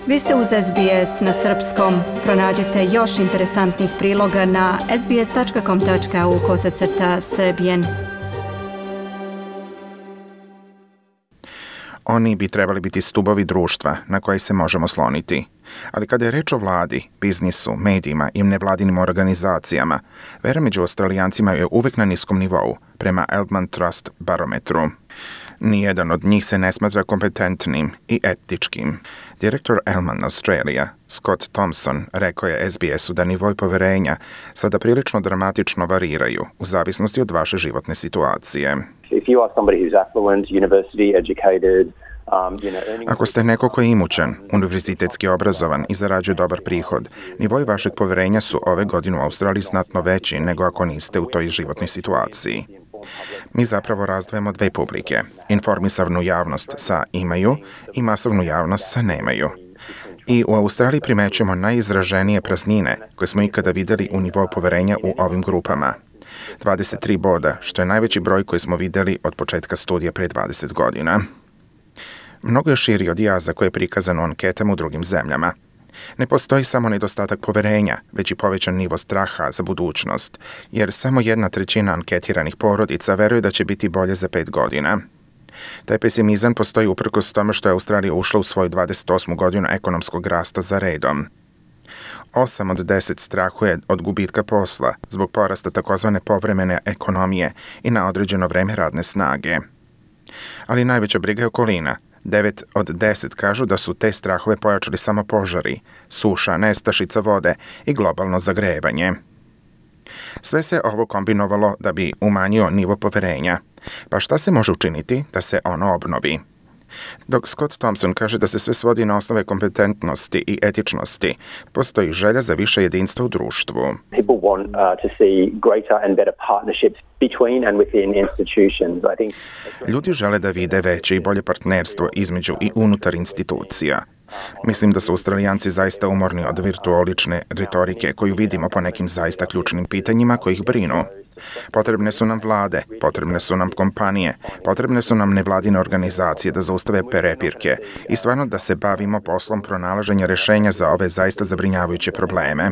Vi ste uz SBS na srpskom. Pronađite još interesantnih priloga na sbs.com.au/srbijen. Oni bi trebali biti stubovi društva na koje se možemo sloniti. Ali kada je reč o vladi, biznisu, medijima i nevladinim organizacijama, vera među Australijancima je uvek na niskom nivou, prema Eldman Trust barometru. Nijedan od njih se ne smatra kompetentnim i etičkim. Direktor Eldman Australia, Scott Thompson, rekao je SBS-u da nivoj poverenja sada prilično dramatično variraju u zavisnosti od vaše životne situacije. If you are somebody who's affluent, university educated, Ako ste neko ko je imućan, univerzitetski obrazovan i zarađuje dobar prihod, nivoj vašeg poverenja su ove godine u Australiji znatno veći nego ako niste u toj životnoj situaciji. Mi zapravo razdvajamo dve publike, informisavnu javnost sa imaju i masovnu javnost sa nemaju. I u Australiji primećujemo najizraženije praznine koje smo ikada videli u nivou poverenja u ovim grupama. 23 boda, što je najveći broj koji smo videli od početka studija pre 20 godina. Mnogo je širi od jaza koje je prikazano u anketama u drugim zemljama. Ne postoji samo nedostatak poverenja, već i povećan nivo straha za budućnost, jer samo 1/3 anketiranih porodica veruje da će biti bolje za 5 godina. Taj pesimizam postoji uprkos tome što je Australija ušla u svoju 28. godinu ekonomskog rasta za redom. 8 od 10 strahuje od gubitka posla zbog porasta takozvane povremene ekonomije i na određeno vreme radne snage. Ali najveća briga je okolina. 9 od 10 kažu da su te strahove pojačali samo požari, suša, nestašica vode i globalno zagrevanje. Sve se ovo kombinovalo da bi umanjio nivo poverenja. Pa šta se može učiniti da se ono obnovi? Dok Scott Thompson kaže da se sve svodi na osnove kompetentnosti i etičnosti, postoji želja za više jedinstva u društvu. People want to see greater and better partnerships between and within institutions. I think Ljudi žele da vide veće i bolje partnerstvo između i unutar institucija. Mislim da su Australijanci zaista umorni od virtuolične retorike koju vidimo po nekim zaista ključnim pitanjima koji ih brinu. Potrebne su nam vlade, potrebne su nam kompanije, potrebne su nam nevladine organizacije da zaustave prepirke i stvarno da se bavimo poslom pronalaženja rešenja za ove zaista zabrinjavajuće probleme.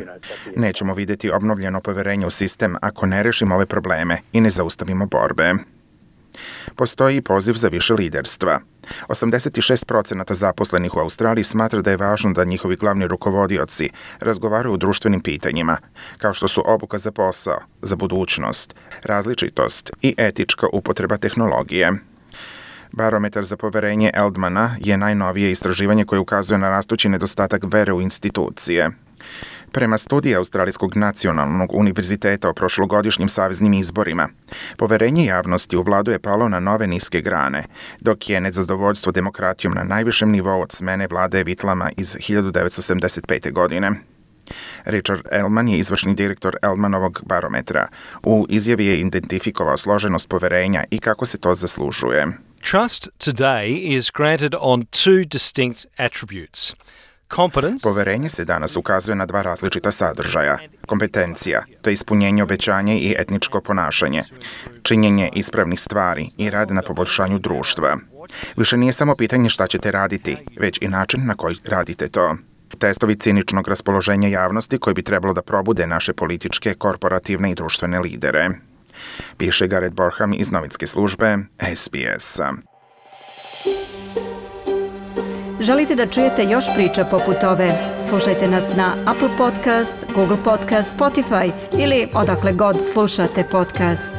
Nećemo vidjeti obnovljeno poverenje u sistem ako ne rešimo ove probleme i ne zaustavimo borbe. Postoji i poziv za više liderstva. 86% zaposlenih u Australiji smatra da je važno da njihovi glavni rukovodioci razgovaraju o društvenim pitanjima, kao što su obuka za posao, za budućnost, različitost i etička upotreba tehnologije. Barometar za poverenje Eldmana je najnovije istraživanje koje ukazuje na rastući nedostatak vere u institucije. Prema studiji Australijskog nacionalnog univerziteta o prošlogodišnjim saveznim izborima, poverenje javnosti u vladu je palo na nove niske grane, dok je nezadovoljstvo demokratijom na najvišem nivou od smene vlade Whitlama iz 1975. godine. Richard Ellman je izvršni direktor Eldmanovog barometra. U izjavi je identifikovao složenost poverenja i kako se to zaslužuje. Trust today is granted on two distinct attributes. Poverenje se danas ukazuje na dva različita sadržaja. Kompetencija, to je ispunjenje obećanja i etničko ponašanje. Činjenje ispravnih stvari i rad na poboljšanju društva. Više nije samo pitanje šta ćete raditi, već i način na koji radite to. Testovi ciničnog raspoloženja javnosti koji bi trebalo da probude naše političke, korporativne i društvene lidere. Piše Gareth Borham iz novinske službe SBS-a. Želite da čujete još priča poput ove? Slušajte nas na Apple Podcast, Google Podcast, Spotify ili odakle god slušate podcast.